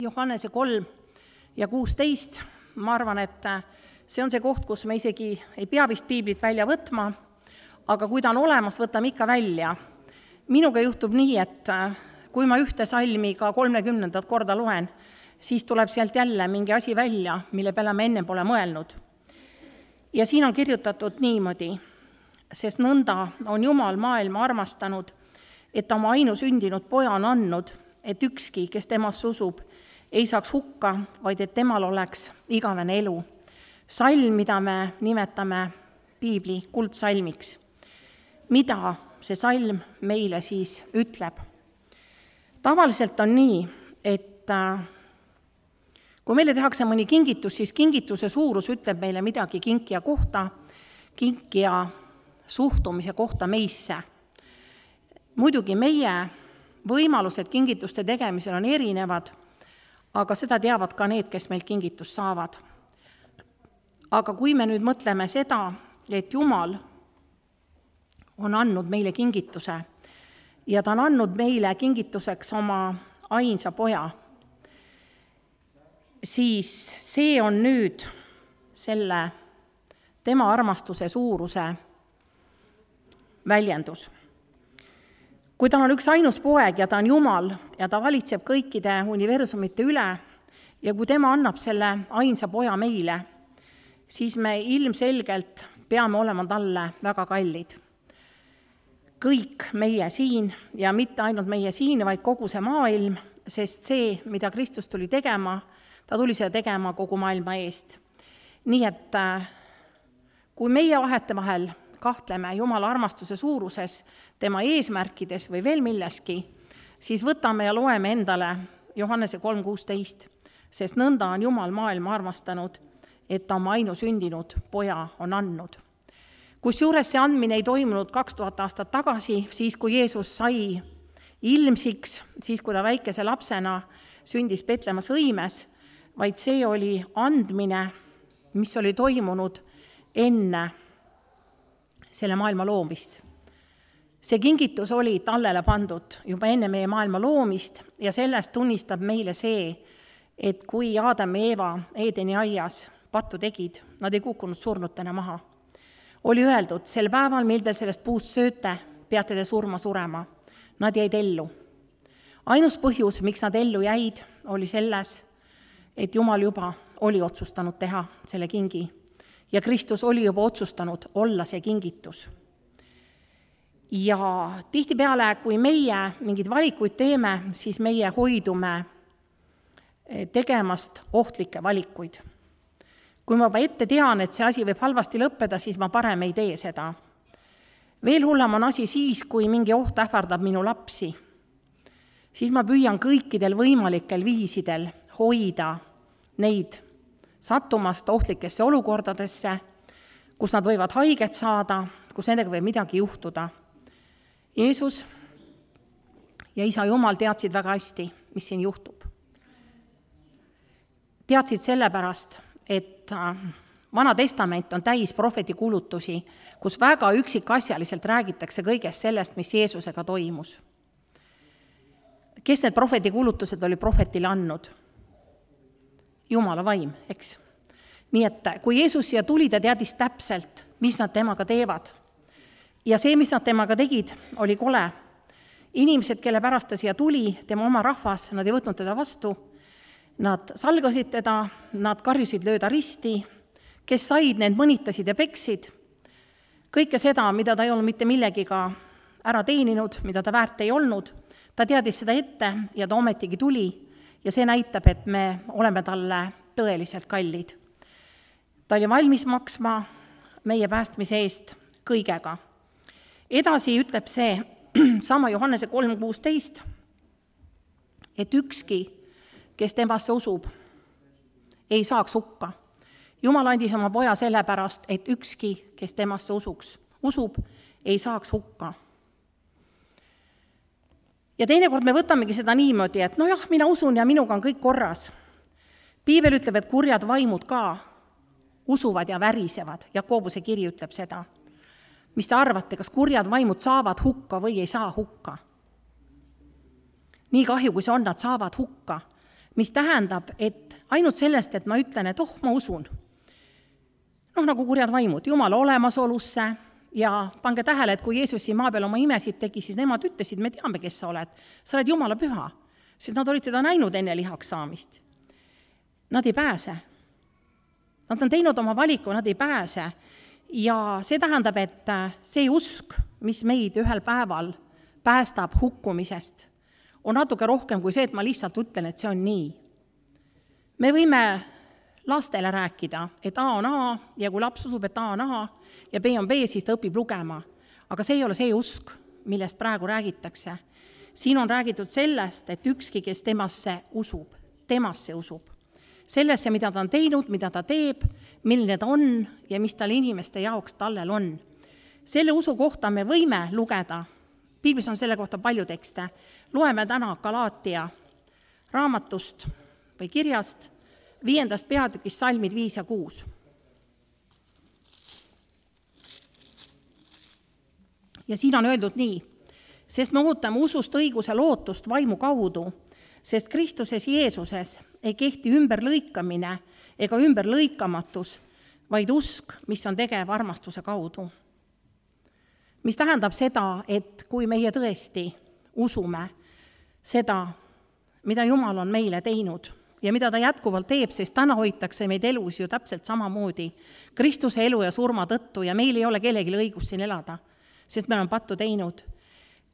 Johannese 3:16, ma arvan, et see on see koht, kus me isegi ei pea vist piiblit välja võtma, aga kui ta on olemas, võtame ikka välja. Minuga juhtub nii, et kui ma ühte salmi ka 30. korda loen, siis tuleb sealt jälle mingi asi välja, mille peale ma enne pole mõelnud. Ja siin on kirjutatud niimoodi, sest nõnda on Jumal maailma armastanud, et ta oma ainusündinud poja on andnud, et ükski, kes temasse usub, ei saaks hukka, vaid et temal oleks igavene elu. Salm, mida me nimetame piibli kuldsalmiks. Mida see salm meile siis ütleb? Tavaliselt on nii, et kui meile tehakse mõni kingitus, siis kingituse suurus ütleb meile midagi kinkija kohta, kinkija suhtumise kohta meisse. Muidugi meie võimalused kingituste tegemisel on erinevad, aga seda teavad ka need, kes meilt kingitust saavad. Aga kui me nüüd mõtleme seda, et Jumal on andnud meile kingituse ja ta on andnud meile kingituseks oma ainsa poja, siis see on nüüd selle tema armastuse suuruse väljendus. Kui tal on üks ainus poeg ja ta on Jumal ja ta valitseb kõikide universumite üle ja kui tema annab selle ainsa poja meile, siis me ilmselgelt peame olema talle väga kallid. Kõik meie siin ja mitte ainult meie siin, vaid kogu see maailm, sest see, mida Kristus tuli tegema, ta tuli seda tegema kogu maailma eest. Nii et kui meie vahetevahel kahtleme Jumala armastuse suuruses, tema eesmärkides või veel milleski, siis võtame ja loeme endale Johannese 3:16, sest nõnda on Jumal maailma armastanud, et ta oma ainusündinud poja on andnud. Kusjuures see andmine ei toimunud 2000 aastat tagasi, siis kui Jeesus sai ilmsiks, siis kui ta väikese lapsena sündis Petlemmas õimes, vaid see oli andmine, mis oli toimunud enne selle maailma loomist. See kingitus oli tallele pandud juba enne meie maailma loomist ja sellest tunnistab meile see, et kui Aadam ja Eeva Eedeni aias pattu tegid, nad ei kukkunud surnutena maha. Oli öeldud, sel päeval, mil te sellest puust sööte, peate te surema. Nad jäid ellu. Ainus põhjus, miks nad ellu jäid, oli selles, et Jumal juba oli otsustanud teha selle kingi. Ja Kristus oli juba otsustanud olla see kingitus. Ja tihtipeale, kui meie mingeid valikuid teeme, siis meie hoidume tegemast ohtlikke valikuid. Kui ma juba ette tean, et see asi võib halvasti lõppeda, siis ma parem ei tee seda. Veel hullem on asi siis, kui mingi oht ähvardab minu lapsi. Siis ma püüan kõikidel võimalikel viisidel hoida neid sattumast ohtlikesse olukordadesse, kus nad võivad haiget saada, kus nendega võib midagi juhtuda. Jeesus ja Isa Jumal teadsid väga hästi, mis siin juhtub. Teadsid sellepärast, et Vana Testament on täis prohveti kuulutusi, kus väga üksikasjaliselt räägitakse kõigest sellest, mis Jeesusega toimus. Kes need prohveti kuulutused oli prohvetile andnud? Jumala vaim, eks. Nii et kui Jeesus siia tuli, ta teadis täpselt, mis nad temaga teevad. Ja see, mis nad temaga tegid, oli kole. Inimesed, kelle pärast ta siia tuli, tema oma rahvas, nad ei võtnud teda vastu. Nad salgasid teda, nad karjusid lööda risti, kes said, need mõnitasid ja peksid. Kõike seda, mida ta ei olnud mitte millegiga ära teeninud, mida ta väärt ei olnud, ta teadis seda ette ja ta ometigi tuli. Ja see näitab, et me oleme talle tõeliselt kallid. Ta oli valmis maksma meie päästmise eest kõigega. Edasi ütleb see sama Johannese 3:16, et ükski, kes temasse usub, ei saaks hukka. Jumal andis oma poja sellepärast, et ükski, kes temasse usub, ei saaks hukka. Ja teinekord me võtamegi seda niimoodi, et nojah, mina usun ja minuga on kõik korras. Piibel ütleb, et kurjad vaimud ka usuvad ja värisevad. Jakobuse kiri ütleb seda. Mis te arvate, kas kurjad vaimud saavad hukka või ei saa hukka? Nii kahju, kui see on, nad saavad hukka, mis tähendab, et ainult sellest, et ma ütlen, et ma usun. Nagu kurjad vaimud, Jumala olemasolusse ja pange tähele, et kui Jeesus siin maa peal oma imesid tegi, siis nemad ütlesid, me teame, kes sa oled Jumala püha, sest nad olid teda näinud enne lihaks saamist. Nad ei pääse. Nad on teinud oma valiku, nad ei pääse. Ja see tähendab, et see usk, mis meid ühel päeval päästab hukkumisest, on natuke rohkem kui see, et ma lihtsalt ütlen, et see on nii. Me võime lastele rääkida, et A on A ja kui laps usub, et A on A ja B on B, siis ta õpib lugema. Aga see ei ole see usk, millest praegu räägitakse. Siin on räägitud sellest, et ükski, kes temasse usub. Sellesse, mida ta on teinud, mida ta teeb, milline ta on ja mis tal inimeste jaoks tallel on. Selle usu kohta me võime lugeda. Piiblis on selle kohta palju tekste. Loeme täna Galaatia raamatust või kirjast 5. peatükist salmid 5 ja 6. Ja siin on öeldud nii, sest me ootame usust õiguse lootust vaimu kaudu, sest Kristuses Jeesuses ei kehti ümberlõikamine ega ümberlõikamatus, vaid usk, mis on tegev armastuse kaudu. Mis tähendab seda, et kui meie tõesti usume seda, mida Jumal on meile teinud ja mida ta jätkuvalt teeb, sest täna hoitakse meid elus ju täpselt samamoodi Kristuse elu ja surma tõttu ja meil ei ole kellelgi õigus siin elada, sest me oleme pattu teinud.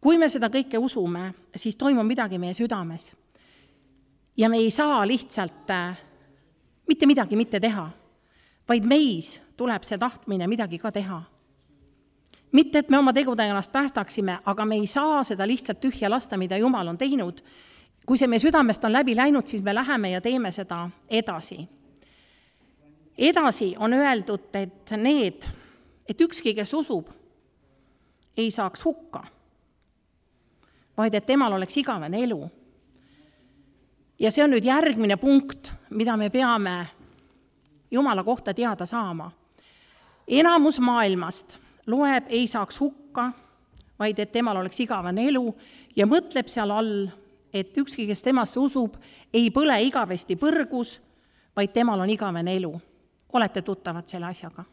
Kui me seda kõike usume, siis toimub midagi meie südames. Ja me ei saa lihtsalt mitte midagi mitte teha, vaid meis tuleb see tahtmine midagi ka teha. Mitte, et me oma tegudega ennast päästaksime, aga me ei saa seda lihtsalt tühja lasta, mida Jumal on teinud. Kui see meie südamest on läbi läinud, siis me läheme ja teeme seda edasi. Edasi on öeldud, et ükski, kes usub, ei saaks hukka, vaid et temal oleks igavene elu. Ja see on nüüd järgmine punkt, mida me peame Jumala kohta teada saama. Enamus maailmast loeb, ei saaks hukka, vaid et temal oleks igavene elu ja mõtleb seal all, et ükski, kes temasse usub, ei põle igavesti põrgus, vaid temal on igavene elu. Olete tuttavad selle asjaga?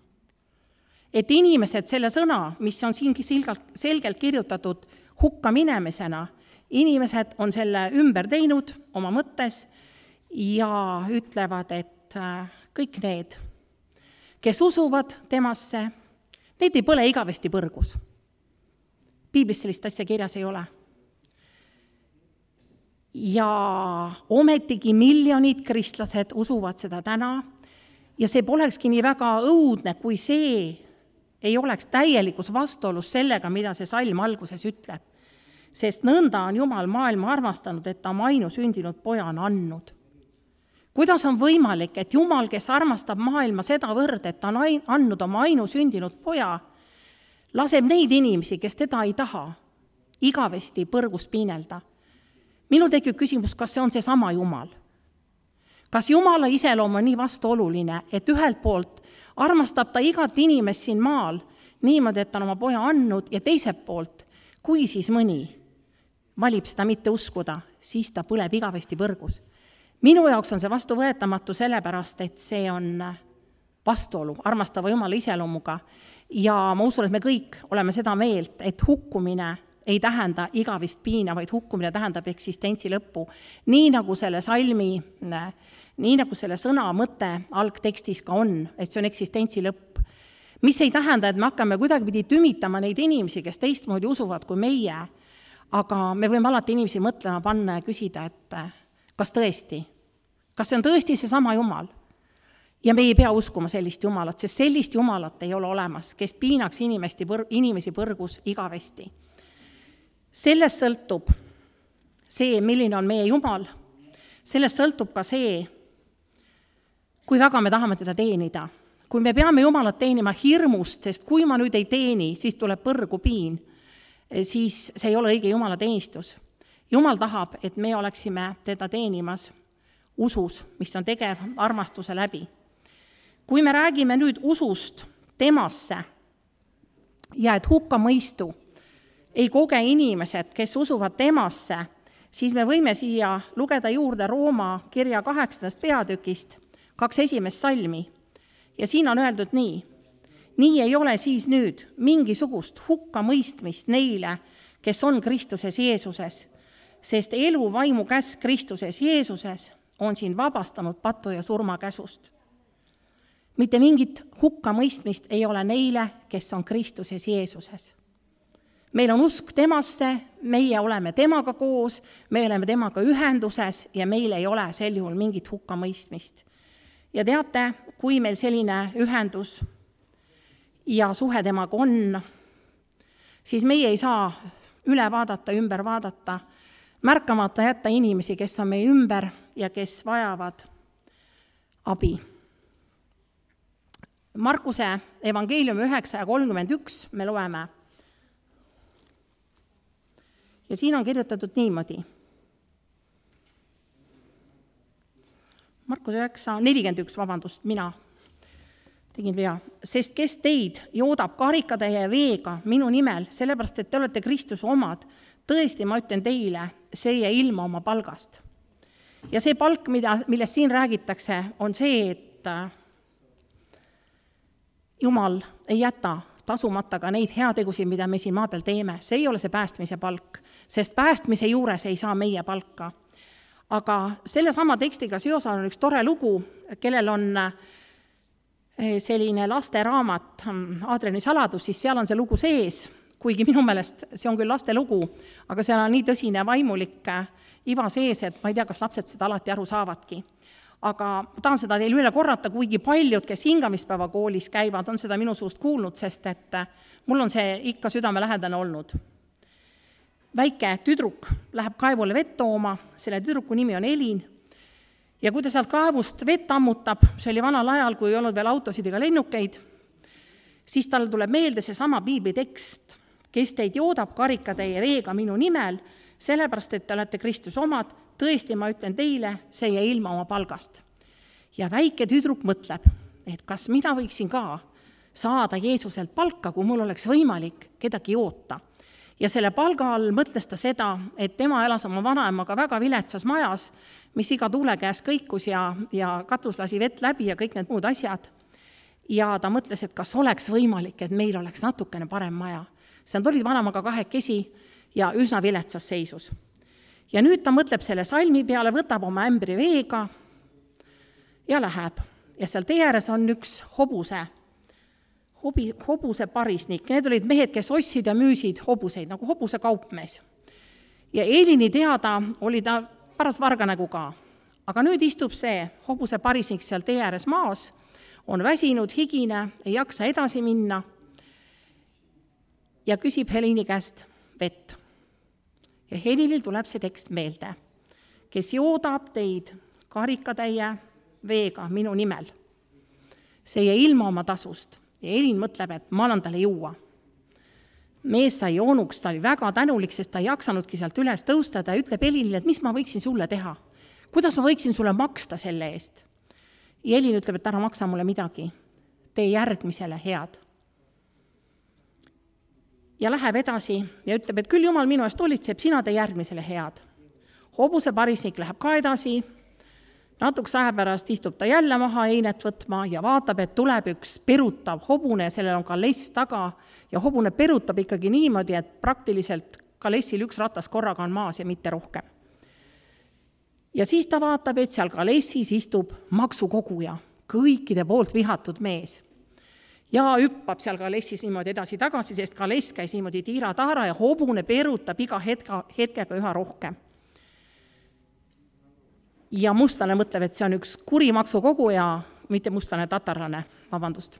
Et inimesed selle sõna, mis on siin selgelt kirjutatud hukka minemisena, inimesed on selle ümber teinud oma mõttes ja ütlevad, et kõik need, kes usuvad temasse, need ei põle igavesti põrgus. Piiblis sellist asja kirjas ei ole. Ja ometigi miljonid kristlased usuvad seda täna ja see polekski nii väga õudne, kui see ei oleks täielikus vastuolus sellega, mida see salm alguses ütleb. Sest nõnda on Jumal maailma armastanud, et ta oma ainusündinud poja on andnud. Kuidas on võimalik, et Jumal, kes armastab maailma sedavõrd, et ta on andnud oma ainusündinud poja, laseb neid inimesi, kes teda ei taha, igavesti põrgust piinelda? Minul tekib küsimus, kas see on see sama Jumal? Kas Jumala iseloom on nii vastuoluline, et ühelt poolt armastab ta igat inimest siin maal niimoodi, et ta on oma poja andnud ja teiselt poolt, kui siis mõni valib seda mitte uskuda, siis ta põleb igavesti põrgus. Minu jaoks on see vastuvõetamatu sellepärast, et see on vastuolu armastava Jumala iseloomuga ja ma usun, et me kõik oleme seda meelt, et hukkumine ei tähenda igavist piina, vaid hukkumine tähendab eksistentsi lõppu. Nii nagu selle salmi, nii nagu selle sõna mõte algtekstis ka on, et see on eksistentsi lõpp. Mis ei tähenda, et me hakkame kuidagi tümitama neid inimesi, kes teistmoodi usuvad kui meie, aga me võime alati inimesi mõtlema panna ja küsida, et kas tõesti? Kas see on tõesti see sama Jumal? Ja me ei pea uskuma sellist Jumalat, sest sellist Jumalat ei ole olemas, kes piinaks inimesi põrgus igavesti. Sellest sõltub see, milline on meie Jumal. Sellest sõltub ka see, kui väga me tahame teda teenida. Kui me peame Jumalat teenima hirmust, sest kui ma nüüd ei teeni, siis tuleb põrgu piin, siis see ei ole õige Jumala teenistus. Jumal tahab, et me oleksime teda teenimas usus, mis on tegev armastuse läbi. Kui me räägime nüüd usust temasse ja et hukkamõistu ei koge inimesed, kes usuvad temasse, siis me võime siia lugeda juurde Rooma kirja 8. peatükist 2 esimest salmi. Ja siin on öeldud nii: nii ei ole siis nüüd mingisugust hukkamõistmist neile, kes on Kristuses Jeesuses, sest elu vaimu käsk Kristuses Jeesuses on siin vabastanud patu ja surma käsust. Mitte mingit hukkamõistmist ei ole neile, kes on Kristuses Jeesuses. Meil on usk temasse, meie oleme temaga koos, me oleme temaga ühenduses ja meil ei ole sel juhul mingit hukkamõistmist. Ja teate, kui meil selline ühendus ja suhe temaga on, siis meie ei saa üle vaadata, ümber vaadata, märkamata jätta inimesi, kes on meie ümber ja kes vajavad abi. Markuse evangeeliumi 9:31 me loeme. Ja siin on kirjutatud niimoodi. Markuse 9:41, mina tegin vea. Sest kes teid joodab karikatäie ja veega minu nimel, sellepärast, et te olete Kristuse omad, tõesti, ma ütlen teile, see ei jää ilma oma palgast. Ja see palk, millest siin räägitakse, on see, et Jumal ei jäta tasumata ka neid heategusid, mida me siin maa peal teeme. See ei ole see päästmise palk, sest päästmise juures ei saa meie palka. Aga selle sama tekstiga seoses on üks tore lugu, kellel on selline lasteraamat Aadriani saladus, siis seal on see lugu sees, kuigi minu meelest see on küll laste lugu, aga seal on nii tõsine vaimulik iva sees, et ma ei tea, kas lapsed seda alati aru saavadki. Aga tahan seda teile üle korrata, kuigi paljud, kes hingamispäeva koolis käivad, on seda minu suust kuulnud, sest et mul on see ikka südamelähedane olnud. Väike tüdruk läheb kaevule vett tooma, selle tüdruku nimi on Elin, ja kui ta sealt kaevust vett ammutab, see oli vanal ajal, kui ei olnud veel autosid ega lennukeid, siis tal tuleb meelde see sama piiblitekst, kes teid joodab karikatäie veega minu nimel, sellepärast, et te olete Kristuse omad, tõesti, ma ütlen teile, see jäi ilma oma palgast. Ja väike tüdruk mõtleb, et kas mina võiksin ka saada Jeesuselt palka, kui mul oleks võimalik kedagi joota. Ja selle palga all mõtles ta seda, et tema elas oma vanaemaga väga viletsas majas, mis iga tuule käes kõikus ja katus lasi vett läbi ja kõik need muud asjad. Ja ta mõtles, et kas oleks võimalik, et meil oleks natukene parem maja. See olid vanaemaga kahekesi ja üsna viletsas seisus. Ja nüüd ta mõtleb selle salmi peale, võtab oma ämbri veega ja läheb. Ja seal tee ääres on üks hobuse parisnik. Need olid mehed, kes ostsid ja müüsid hobuseid, nagu hobuse kaupmees. Ja Elini teada oli ta paras varganägu ka. Aga nüüd istub see hobuse parisnik seal tee ääres maas, on väsinud, higine, ei jaksa edasi minna ja küsib Helini käest vett. Ja Helinil tuleb see tekst meelde, kes joodab teid karikatäie veega minu nimel. See jäi ilma oma tasust ja Helin mõtleb, et ma annan talle juua. Mees sai joonuks, ta oli väga tänulik, sest ta ei jaksanudki sealt üles tõustada ja ütleb Helinile, et mis ma võiksin sulle teha? Kuidas ma võiksin sulle maksta selle eest? Ja Helin ütleb, et ära maksa mulle midagi, tee järgmisele head. Ja läheb edasi ja ütleb, et küll Jumal minu eest hoolitseb, sina tee järgmisele head. Hobuse parisnik läheb ka edasi, natuks aja pärast istub ta jälle maha einet võtma ja vaatab, et tuleb üks perutav hobune, sellel on kaless taga ja hobune perutab ikkagi niimoodi, et praktiliselt kalessil üks ratas korraga on maas ja mitte rohkem. Ja siis ta vaatab, et seal kalessis istub maksukoguja, kõikide poolt vihatud mees. Ja hüppab seal kalessis niimoodi edasi-tagasi, sest kaless käis niimoodi tiira-taara ja hobune perutab iga hetkega üha rohkem. Ja mustlane mõtleb, et see on üks kuri maksukogu ja mitte mustlane, tatarlane, vabandust.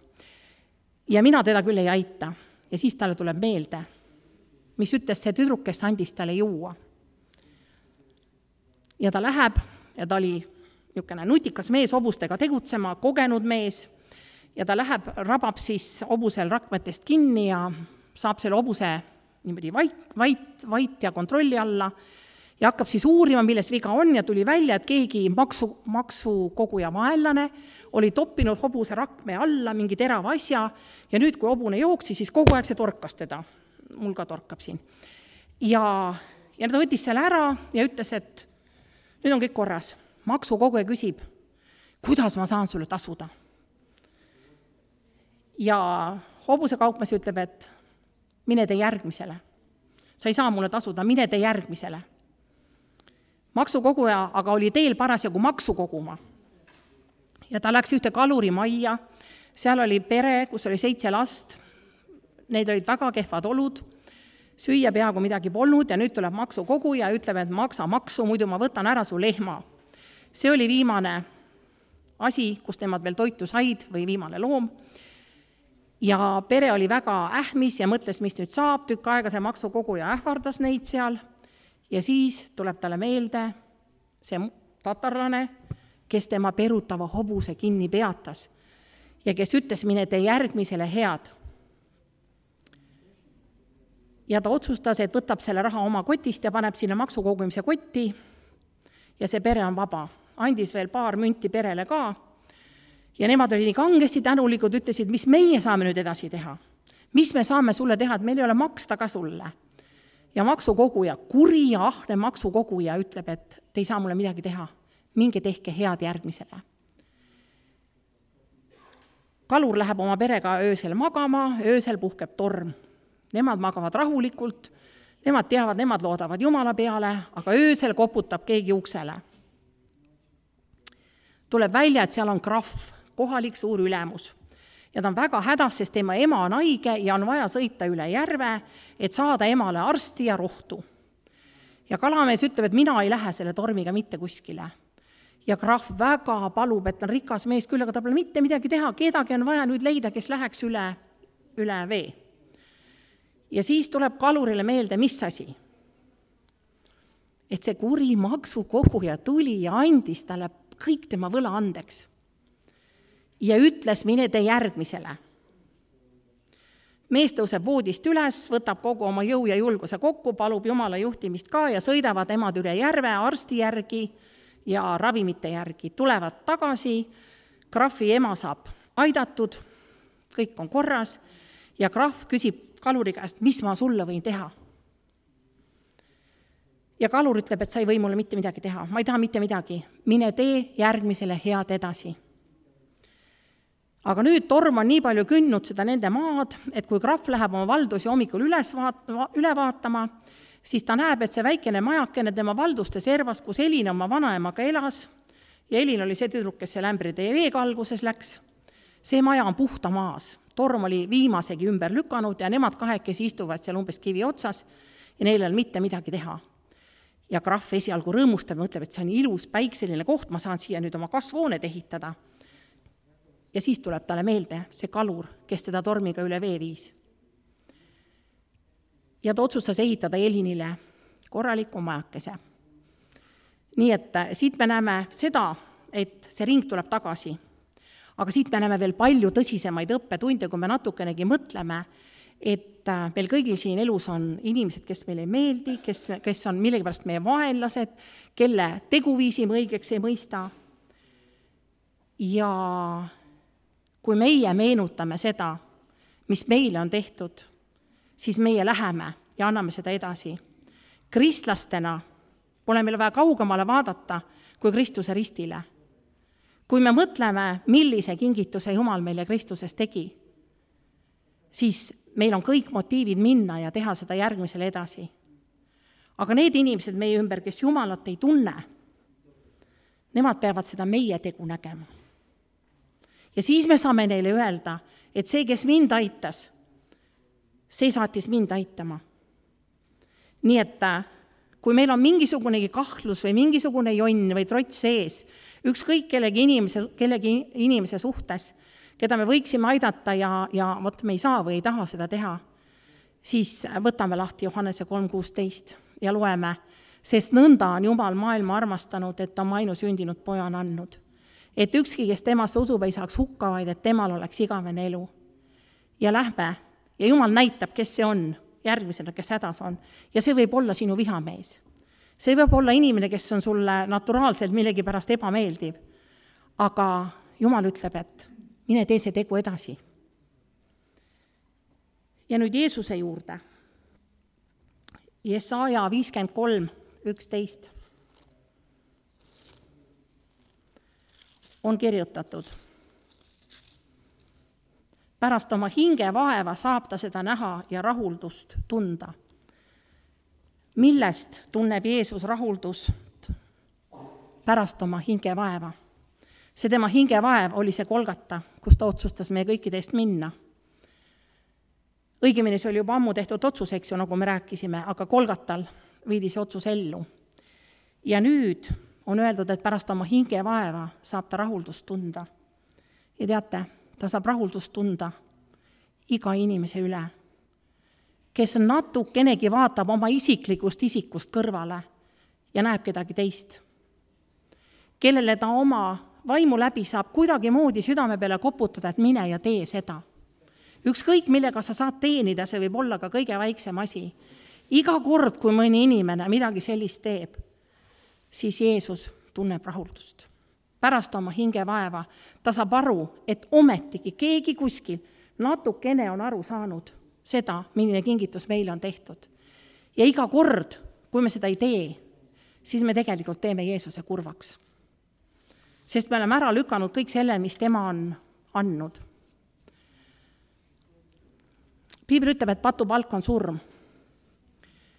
Ja mina teda küll ei aita. Ja siis talle tuleb meelde, mis ütles see tüdruk, kes andis talle juua. Ja ta läheb ja ta oli niisugune nutikas mees hobustega tegutsema, kogenud mees, ja ta läheb, rabab siis hobusel rakmetest kinni ja saab selle hobuse niimoodi vait ja kontrolli alla ja hakkab siis uurima, milles viga on ja tuli välja, et keegi maksukoguja vaenlane oli toppinud hobuse rakme alla mingi terava asja ja nüüd, kui hobune jooksi, siis kogu aeg see torkas teda. Mul ka torkab siin. Ja Ja ta võttis selle ära ja ütles, et nüüd on kõik korras. Maksukoguja küsib, kuidas ma saan sulle tasuda? Ja hobuse kaupmees ütleb, et mine tee järgmisele. Sa ei saa mulle tasuda, mine tee järgmisele. Maksukoguja aga oli teel parasjagu maksu koguma. Ja ta läks ühte kalurimajja, seal oli pere, kus oli 7 last, need olid väga kehvad olud, süüa peaaegu midagi polnud ja nüüd tuleb maksukoguja ja ütleb, et maksa maksu, muidu ma võtan ära su lehma. See oli viimane asi, kus nemad veel toitu said või viimane loom. Ja pere oli väga ähmis ja mõtles, mis nüüd saab, tükk aega see maksukoguja ähvardas neid seal ja siis tuleb talle meelde see tatarlane, kes tema perutava hobuse kinni peatas ja kes ütles, mine tee järgmisele head. Ja ta otsustas, et võtab selle raha oma kotist ja paneb sinna maksukogumise kotti ja see pere on vaba. Andis veel paar münti perele ka ja nemad olid nii kangesti tänulikud, ütlesid, mis meie saame nüüd edasi teha. Mis me saame sulle teha, et meil ei ole maksta ka sulle. Ja maksukoguja, kuri ja ahne maksukoguja ütleb, et te ei saa mulle midagi teha. Minge tehke head järgmisele. Kalur läheb oma perega öösel magama, öösel puhkeb torm. Nemad magavad rahulikult, nemad teavad, nemad loodavad Jumala peale, aga öösel koputab keegi uksele. Tuleb välja, et seal on krahv, kohalik suur ülemus. Ja ta on väga hädas, sest tema ema on haige ja on vaja sõita üle järve, et saada emale arsti ja rohtu. Ja kalamees ütleb, et mina ei lähe selle tormiga mitte kuskile. Ja krahv väga palub, et on rikas mees küll, aga ta pole mitte midagi teha, kedagi on vaja nüüd leida, kes läheks üle vee. Ja siis tuleb kalurile meelde, mis asi? Et see kuri maksukoguja tuli ja andis talle kõik tema võla andeks. Ja ütles, mine tee järgmisele. Mees tõuseb voodist üles, võtab kogu oma jõu ja julguse kokku, palub Jumala juhtimist ka ja sõidavad emad üle järve arsti järgi ja ravimite järgi. Tulevad tagasi, krahvi ema saab aidatud, kõik on korras ja krahv küsib kaluri käest, mis ma sulle võin teha. Ja kalur ütleb, et sa ei või mulle mitte midagi teha, ma ei taha mitte midagi, mine tee järgmisele head edasi. Aga nüüd torm on nii palju kündnud seda nende maad, et kui krahv läheb oma valdusi hommikul üle vaatama, siis ta näeb, et see väikene majakene tema valduste servas, kus Elin oma vanaemaga elas, ja Elin oli see tüdruk, kes seal ämbride veekalguses läks, see maja on puhta maas. Torm oli viimasegi ümber lükanud ja nemad kahekesi istuvad seal umbes kivi otsas ja neil on mitte midagi teha. Ja krahv esialgu rõõmustab ja mõtleb, et see on ilus päikseline koht, ma saan siia nüüd oma kasvuhooned ehitada. Ja siis tuleb talle meelde see kalur, kes teda tormiga üle vee viis. Ja ta otsustas ehitada Elinile korraliku majakese. Nii et siit me näeme seda, et see ring tuleb tagasi. Aga siit me näeme veel palju tõsisemaid õppetunde, kui me natukenegi mõtleme, et meil kõigil siin elus on inimesed, kes meile ei meeldi, kes on millegipärast meie vaenlased, kelle teguviisi me õigeks ei mõista. Ja kui meie meenutame seda, mis meile on tehtud, siis meie läheme ja anname seda edasi. Kristlastena pole meil vaja kaugemale vaadata kui Kristuse ristile. Kui me mõtleme, millise kingituse Jumal meile Kristuses tegi, siis meil on kõik motiivid minna ja teha seda järgmisele edasi. Aga need inimesed meie ümber, kes Jumalat ei tunne, nemad peavad seda meie tegu nägema. Ja siis me saame neile öelda, et see, kes mind aitas, see saatis mind aitama. Nii et kui meil on mingisugunegi kahtlus või mingisugune jonn või trots sees, ükskõik kellegi inimese suhtes, keda me võiksime aidata ja võt me ei saa või ei taha seda teha, siis võtame lahti Johannese 3:16 ja loeme, sest nõnda on Jumal maailma armastanud, et oma ainusündinud poja on andnud. Et ükski, kes temasse usub, ei saaks hukka, vaid et temal oleks igavene elu. Ja lähme ja Jumal näitab, kes see on, järgmisena, kes hädas on. Ja see võib olla sinu vihamees. See võib olla inimene, kes on sulle naturaalselt millegi pärast ebameeldiv. Aga Jumal ütleb, et mine tee see tegu edasi. Ja nüüd Jeesuse juurde. Jesaja 53:11 on kirjutatud. Pärast oma hingevaeva saab ta seda näha ja rahuldust tunda. Millest tunneb Jeesus rahuldust? Pärast oma hingevaeva. See tema hingevaev oli see Golgata, kus ta otsustas meie kõikide eest minna. Õigemini see oli juba ammu tehtud otsus, eks ju, nagu me rääkisime, aga Golgatal viidi see otsus ellu. Ja nüüd on öeldud, et pärast oma hingevaeva saab ta rahuldust tunda. Ja teate, ta saab rahuldust tunda iga inimese üle, kes natukenegi vaatab oma isiklikust isikust kõrvale ja näeb kedagi teist, kellele ta oma vaimu läbi saab kuidagi moodi südame peale koputada, et mine ja tee seda. Ükskõik, millega sa saad teenida, see võib olla ka kõige väiksem asi. Iga kord, kui mõni inimene midagi sellist teeb, siis Jeesus tunneb rahuldust. Pärast oma hingevaeva ta saab aru, et ometigi keegi kuskil natukene on aru saanud seda, milline kingitus meile on tehtud. Ja iga kord, kui me seda ei tee, siis me tegelikult teeme Jeesuse kurvaks. Sest me oleme ära lükanud kõik selle, mis tema on andnud. Piibel ütleb, et patu palk on surm.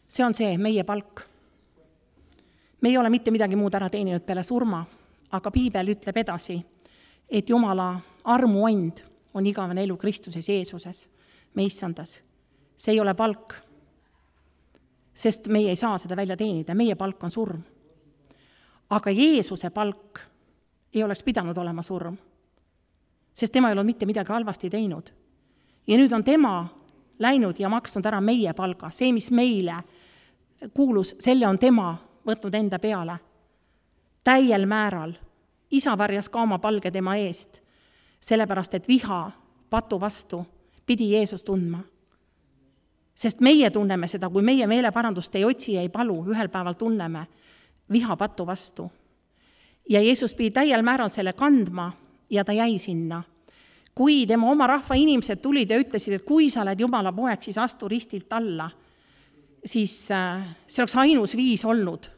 See on see meie palk. Me ei ole mitte midagi muud ära teeninud peale surma, aga Piibel ütleb edasi, et Jumala armuand on igavene elu Kristuses Jeesuses, me issandas. See ei ole palk, sest meie ei saa seda välja teenida, meie palk on surm. Aga Jeesuse palk ei oleks pidanud olema surm, sest tema ei olnud mitte midagi halvasti teinud. Ja nüüd on tema läinud ja maksnud ära meie palga. See, mis meile kuulus, selle on tema võtnud enda peale. Täiel määral. Isa varjas ka oma palge tema eest, sellepärast, et viha patu vastu pidi Jeesus tundma. Sest meie tunneme seda, kui meie meeleparandust ei otsi ja ei palu, ühel päeval tunneme viha patu vastu. Ja Jeesus pidi täiel määral selle kandma ja ta jäi sinna. Kui tema oma rahva inimesed tulid ja ütlesid, et kui sa oled Jumala poeg, siis astu ristilt alla, siis see oleks ainus viis olnud,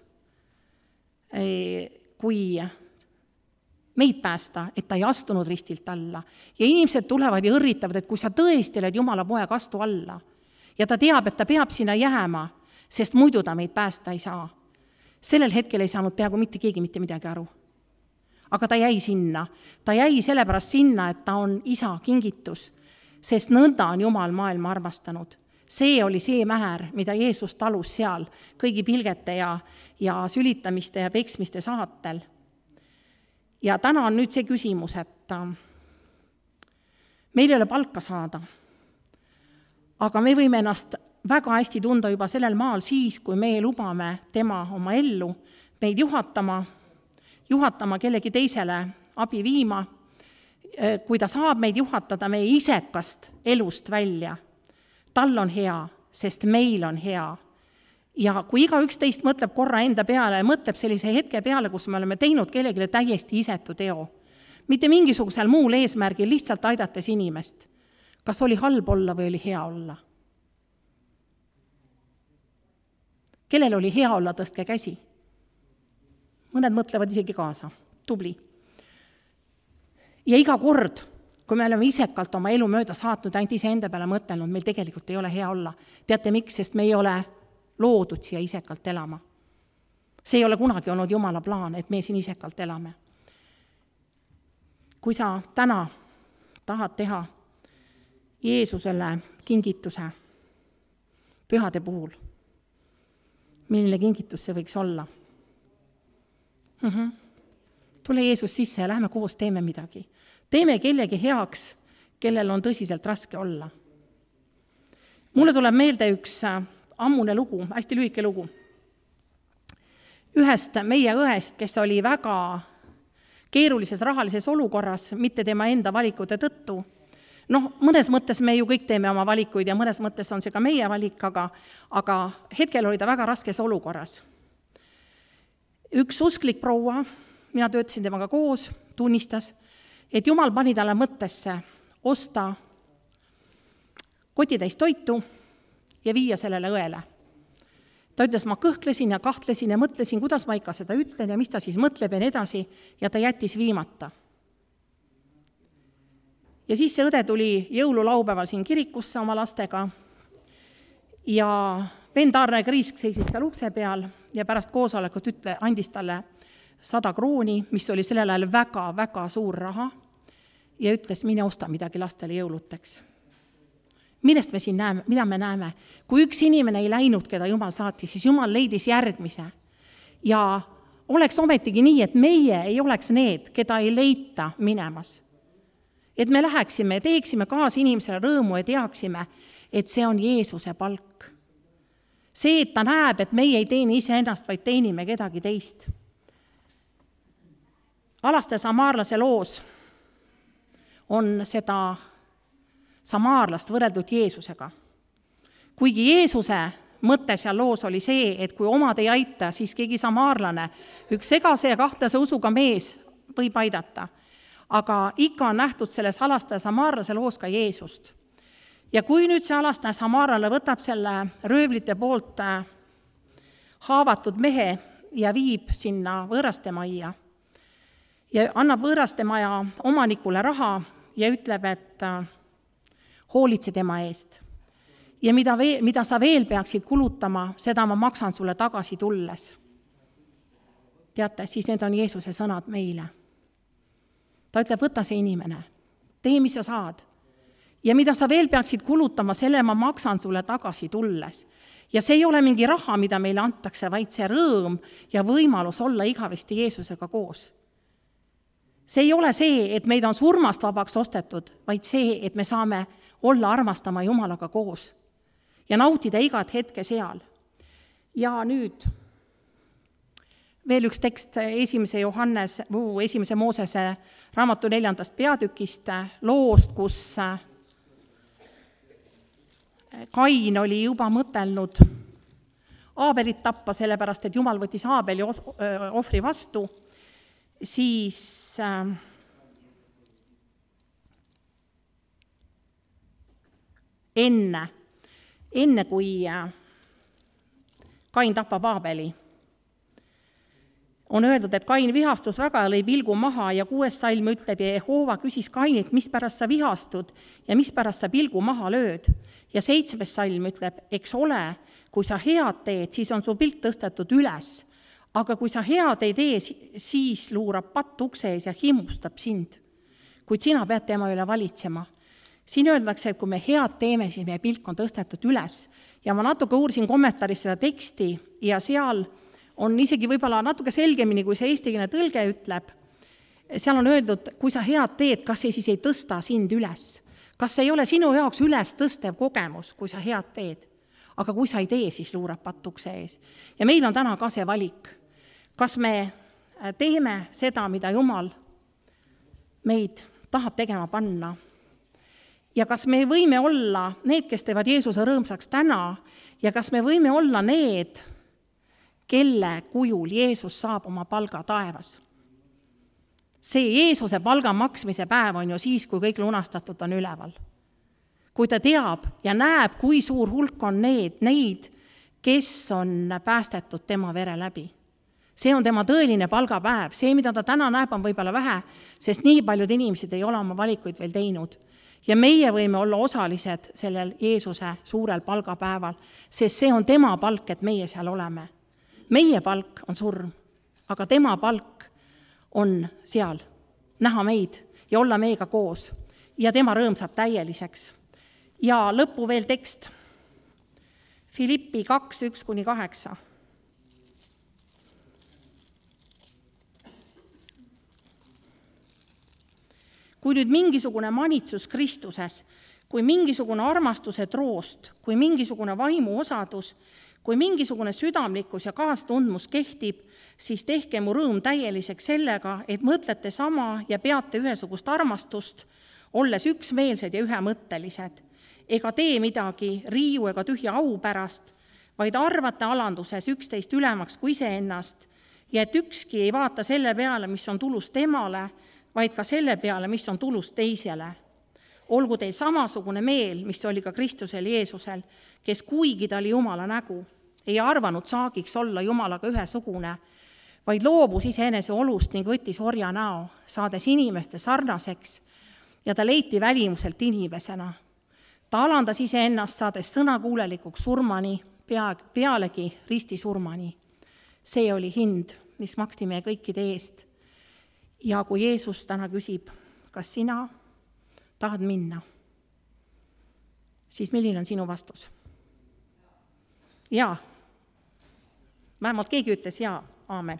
kui meid päästa, et ta ei astunud ristilt alla. Ja inimesed tulevad ja õrritavad, et kui sa tõesti oled Jumala poeg, astu alla. Ja ta teab, et ta peab sinna jääma, sest muidu ta meid päästa ei saa. Sellel hetkel ei saanud peaaegu mitte keegi mitte midagi aru. Aga ta jäi sinna. Ta jäi sellepärast sinna, et ta on isa kingitus, sest nõnda on Jumal maailma armastanud. See oli see määr, mida Jeesus talus seal kõigi pilgete ja sülitamiste ja peksmiste saatel. Ja täna on nüüd see küsimus, et meil ei ole palka saada, aga me võime ennast väga hästi tunda juba sellel maal siis, kui me lubame tema oma ellu meid juhatama kellegi teisele abi viima, kui ta saab meid juhatada meie isekast elust välja. Tal on hea, sest meil on hea. Ja kui iga üksteist mõtleb korra enda peale ja mõtleb sellise hetke peale, kus me oleme teinud kellelegi täiesti isetu teo, mitte mingisugusel muul eesmärgil, lihtsalt aidates inimest, kas oli halb olla või oli hea olla? Kellel oli hea olla, tõstke käsi. Mõned mõtlevad isegi kaasa. Tubli. Ja iga kord, kui me oleme isekalt oma elu mööda saatnud, ainult ise enda peale mõtelnud, meil tegelikult ei ole hea olla. Teate miks? Sest me ei ole loodud siia isekalt elama. See ei ole kunagi olnud Jumala plaan, et me siin isekalt elame. Kui sa täna tahad teha Jeesusele kingituse pühade puhul, milline kingitus see võiks olla? Tule Jeesus sisse ja lähme koos teeme midagi. Teeme kellegi heaks, kellel on tõsiselt raske olla. Mulle tuleb meelde üks ammune lugu, hästi lühike lugu. Ühest meie õest, kes oli väga keerulises rahalises olukorras, mitte tema enda valikute tõttu. Mõnes mõttes me ju kõik teeme oma valikuid ja mõnes mõttes on see ka meie valik, aga hetkel oli ta väga raskes olukorras. Üks usklik proua, mina töötasin temaga koos, tunnistas, et Jumal pani talle mõttesse osta kotitäis toitu ja viia sellele õele. Ta ütles, ma kõhklesin ja kahtlesin ja mõtlesin, kuidas ma ikka seda ütlen ja mis ta siis mõtleb ja nii edasi, ja ta jättis viimata. Ja siis see õde tuli jõululaupäeval siin kirikusse oma lastega ja vend Arne Kriisk seisis seal ukse peal ja pärast koosolekut andis talle 100 krooni, mis oli sellel ajal väga-väga suur raha, ja ütles, mine osta midagi lastele jõuluteks. Millest me siin näeme, mida me näeme? Kui üks inimene ei läinud, keda Jumal saatis, siis Jumal leidis järgmise. Ja oleks ometigi nii, et meie ei oleks need, keda ei leita minemas. Et me läheksime ja teeksime kaasa inimesele rõõmu ja teaksime, et see on Jeesuse palk. See, et ta näeb, et meie ei teeni iseennast, vaid teenime kedagi teist. Alaste samaarlase loos on seda samaarlast võrreldud Jeesusega. Kuigi Jeesuse mõte seal loos oli see, et kui omad ei aita, siis keegi samaarlane, üks segase ja kahtlase usuga mees võib aidata. Aga ikka on nähtud selles alastaja samaarlase loos ka Jeesust. Ja kui nüüd see alastaja samaarlane võtab selle röövlite poolt haavatud mehe ja viib sinna võõrastemajja ja annab võõrastemaja omanikule raha ja ütleb, et hoolitse tema eest. Ja mida sa veel peaksid kulutama, seda ma maksan sulle tagasi tulles. Teate, siis need on Jeesuse sõnad meile. Ta ütleb, võta see inimene, tee, mis sa saad. Ja mida sa veel peaksid kulutama, selle ma maksan sulle tagasi tulles. Ja see ei ole mingi raha, mida meile antakse, vaid see rõõm ja võimalus olla igavesti Jeesusega koos. See ei ole see, et meid on surmast vabaks ostetud, vaid see, et me saame olla armastama Jumalaga koos ja nautida igat hetke seal. Ja nüüd veel üks tekst 1. Moosese raamatu 4. peatükist loost, kus Kain oli juba mõtelnud Aabelit tappa, sellepärast, et Jumal võttis Aabeli ohvri vastu, siis enne kui Kain tapab Aabeli, on öeldud, et Kain vihastus väga ja lõi pilgu maha ja 6. salm ütleb, ja Jehova küsis Kainilt, mis pärast sa vihastud ja mis pärast sa pilgu maha lööd. Ja 7. salm ütleb, eks ole, kui sa head teed, siis on su pilt tõstetud üles, aga kui sa head ei tee, siis luurab patt ukse ees ja himustab sind. Kuid sina pead tema üle valitsema. Siin öeldakse, et kui me head teeme, siis meie pilk on tõstetud üles. Ja ma natuke uurisin kommentaaris seda teksti ja seal on isegi võib-olla natuke selgemini, kui see eestikeelne tõlge ütleb. Seal on öeldud, kui sa head teed, kas see siis ei tõsta sind üles? Kas see ei ole sinu jaoks üles tõstev kogemus, kui sa head teed? Aga kui sa ei tee, siis luurab patukse ees. Ja meil on täna ka see valik. Kas me teeme seda, mida Jumal meid tahab tegema panna? Ja kas me võime olla need, kes teevad Jeesuse rõõmsaks täna, ja kas me võime olla need, kelle kujul Jeesus saab oma palga taevas? See Jeesuse palga maksmise päev on ju siis, kui kõik lunastatud on üleval. Kui ta teab ja näeb, kui suur hulk on neid, kes on päästetud tema vere läbi. See on tema tõeline palgapäev. See, mida ta täna näeb, on võib-olla vähe, sest nii paljud inimesed ei ole oma valikuid veel teinud. Ja meie võime olla osalised sellel Jeesuse suurel palgapäeval, sest see on tema palk, et meie seal oleme. Meie palk on surm, aga tema palk on seal näha meid ja olla meiega koos. Ja tema rõõm saab täieliseks. Ja lõppu veel tekst. Filippi 2:1-8. Kui nüüd mingisugune manitsus Kristuses, kui mingisugune armastuse troost, kui mingisugune vaimu osadus, kui mingisugune südamlikkus ja kaastundmus kehtib, siis tehke mu rõõm täieliseks sellega, et mõtlete sama ja peate ühesugust armastust, olles üksmeelsed ja ühemõttelised. Ega tee midagi riiu ega tühja au pärast, vaid arvate alanduses üksteist ülemaks kui iseennast ja et ükski ei vaata selle peale, mis on tulus temale, vaid ka selle peale, mis on tulus teisele. Olgu teil samasugune meel, mis oli ka Kristusel Jeesusel, kes kuigi ta oli Jumala nägu, ei arvanud saagiks olla Jumalaga ühesugune, vaid loobus iseenese olust ning võttis orja näo, saades inimeste sarnaseks ja ta leiti välimuselt inimesena. Ta alandas iseennast, saades sõnakuulelikuks surmani, pealegi ristisurmani. See oli hind, mis maksti meie kõikide eest. Ja kui Jeesus täna küsib, kas sina tahad minna, siis milline on sinu vastus? Jaa. Vähemalt keegi ütles jaa. Aamen.